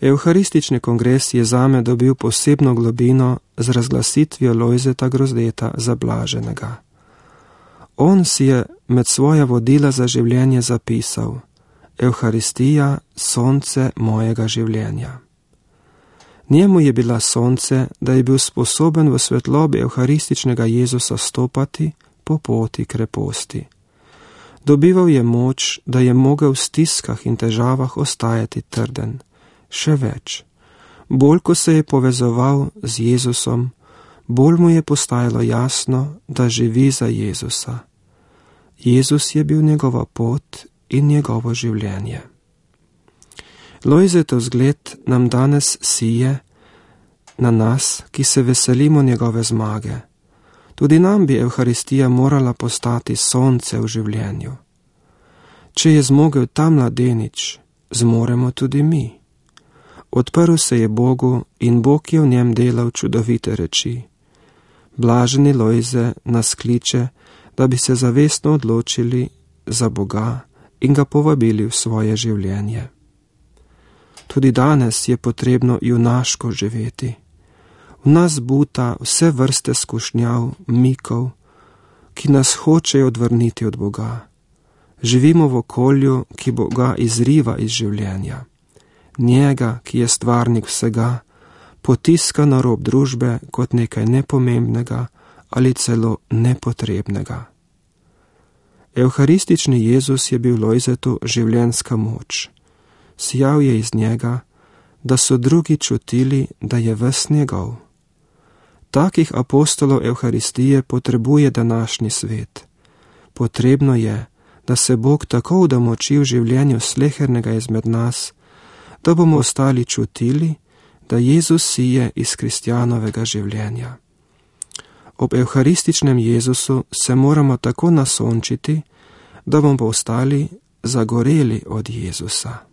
Evharistični kongres je zame dobil posebno globino z razglasitvijo Lojzeta Grozdeta za blaženega. On si je med svoja vodila za življenje zapisal: Evharistija, sonce mojega življenja. Njemu je bila sonce, da je bil sposoben v svetlobi evharističnega Jezusa stopati po poti kreposti. Dobival je moč, da je mogel v stiskah in težavah ostajati trden. Še več, bolj ko se je povezoval z Jezusom, bolj mu je postajalo jasno, da živi za Jezusa. Jezus je bil njegova pot in njegovo življenje. Lojzetov zgled nam danes sije na nas, ki se veselimo njegove zmage. Tudi nam bi Evharistija morala postati sonce v življenju. Če je zmogel ta mladenič, zmoremo tudi mi. Odprl se je Bogu in Bog je v njem delal čudovite reči. Blaženi Lojze nas kliče, da bi se zavestno odločili za Boga in ga povabili v svoje življenje. Tudi danes je potrebno junaško živeti. V nas buta vse vrste skušnjav, mikov, ki nas hočejo odvrniti od Boga. Živimo v okolju, ki Boga izriva iz življenja. Njega, ki je stvarnik vsega, potiska na rob družbe kot nekaj nepomembnega ali celo nepotrebnega. Evharistični Jezus je bil Lojzetu življenjska moč. Sijal je iz njega, da so drugi čutili, da je ves njegov. Takih apostolov Evharistije potrebuje današnji svet. Potrebno je, da se Bog tako udomači v življenju slehernega izmed nas, da bomo ostali čutili, da Jezus sije iz kristjanovega življenja. Ob evharističnem Jezusu se moramo tako nasončiti, da bomo ostali zagoreli od Jezusa.